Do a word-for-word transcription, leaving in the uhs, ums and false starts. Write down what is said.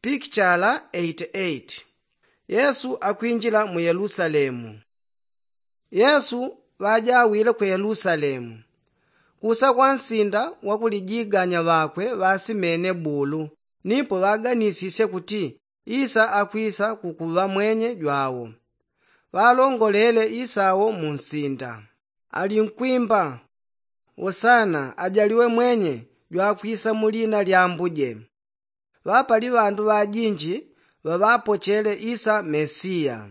Pikichala eighty eight. Yesu akwinjila mu yelusalemu. Yesu ŵajawile ku yelusalemu. Kusa kwa nsinda wakulijiganya ŵakwe ŵasimene bulu, nipo ŵaganisisye kuti isa akwisa kukuŵa mwenye jwawo. Ŵalongolele isawo mu nsinda, alinkwimba, wosana ajaliwe mwenye jwakwisa mu lina lya ambuje. Ŵapali ŵandu ŵajinji ŵaŵapochele isa mesiya.